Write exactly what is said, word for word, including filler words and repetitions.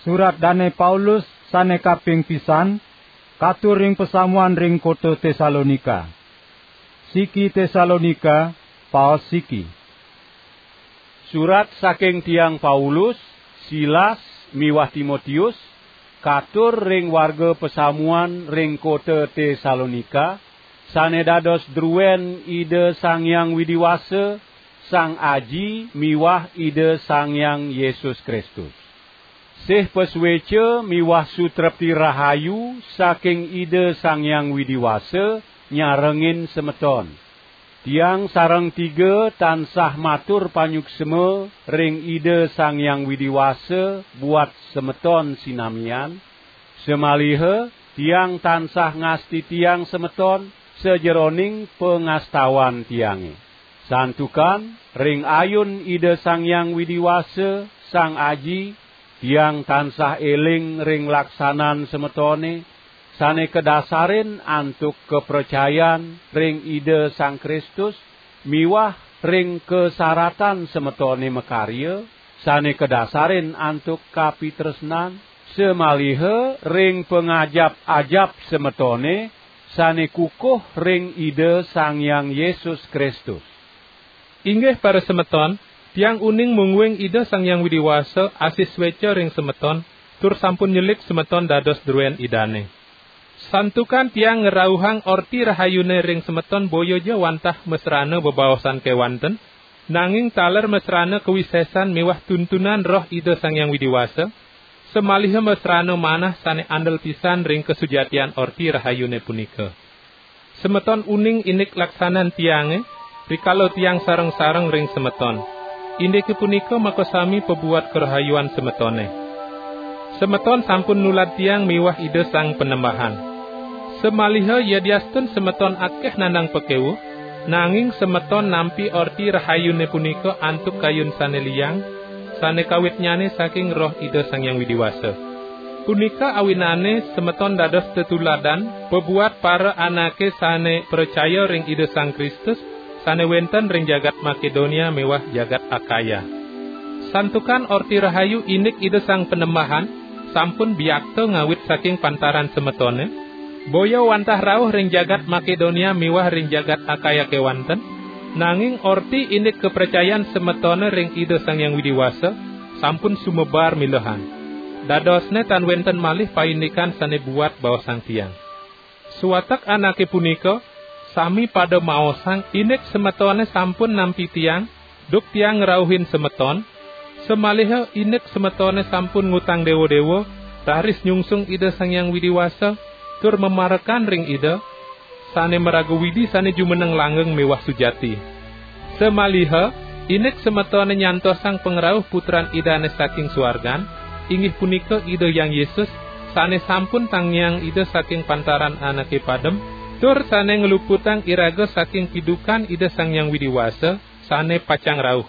Surat Dane Paulus sane kaping pisan, katur ring pasamuan ring kota Tesalonika. Siki Tesalonika, paos siki. Surat saking tiang Paulus, Silas, miwah Timotius, katur ring warga pasamuan ring kota Tesalonika, sane dados druen Ida Sang Hyang Widi Wasa, Sang Aji miwah Ida Sang Hyang Yesus Kristus. Sih pasueca miwah sutrepti rahayu saking Ida Sang Hyang Widi Wasa nyarengin semeton. Tiang sareng tiga tansah matur panyuksma ring Ida Sang Hyang Widi Wasa buat semeton sinamian, samaliha tiang tansah ngastitiang semeton sajeroning pangastawan tiange. Santukan ring ayun Ida Sang Hyang Widi Wasa, Sang Aji, tiang tansah eling ring laksanan semetone, sane kadasarin antuk kapracayan ring Ida Sang Kristus miwah ring kasaratan semetone makarya, sane kadasarin antuk kapitresnan, samaliha ring pangajap-ajap semetone sane kukuh ring Ida Sang Hyang Yesus Kristus. Inggih parasemeton, tiang uning mungguing Ida Sang Hyang Widi Wasa asih sueca ring semeton, tur sampun nyelik semeton dados druen Idane. Santukan tiang ngrauhang Orti Rahayune ring semeton boya ja wantah masrana bebaosan kewanten, nanging taler masrana kawisesan miwah tuntunan Roh Ida Sang Hyang Widi Wasa, samaliha masrana manah sane andel pisan ring kasujatian Orti Rahayune punika. Semeton uning indik laksanan tiange, rikala tiang sareng-sareng ring semeton. Indike punika makasami pabuat karahayuan semetone. Semeton sampun nulad tiang miwah Ida Sang Panembahan. Samaliha yadiastun semeton akeh nandang pakewuh, nanging semeton nampi Orti Rahayune punika antuk kayun sane liang, sane kawitnyane saking Roh Ida Sang Hyang Widi Wasa. Punika awinane semeton dados tetuladan pabuat para anake sane pracaya ring Ida Sang Kristus, sane wenten ring jagat Makedonia miwah jagat Akaya. Santukan Orti Rahayu indik Ida Sang Panembahan sampun biakta ngawit saking pantaran semetone, boya wantah rauh ring jagat Makedonia miwah ring jagat Akaya kewanten, nanging orti indik kapracayan semetone ring Ida Sang Hyang Widi Wasa sampun sumebar milehan. Dadosne tan wenten malih paindikan sane buat baosang tiang. Sawatek anake punika sami pada maosang indik semetone sampun nampi tiang, duk tiang ngrauhin semeton, samaliha indik semetone sampun ngutang dewa-dewa, raris nyungsung Ida Sang Hyang Widi Wasa, tur mamarekan ring Ida, sane maraga Widi sane jumeneng langgeng miwah sujati. Samaliha, indik semetone nyantosang pangrauh Putran Idane saking suargan, inggih punika Ida Hyang Yesus, sane sampun tangiang Ida saking pantaran anake padem, tur sane ngluputang iraga saking pidukan Ida Sang Hyang Widi Wasa, sane pacang rauh.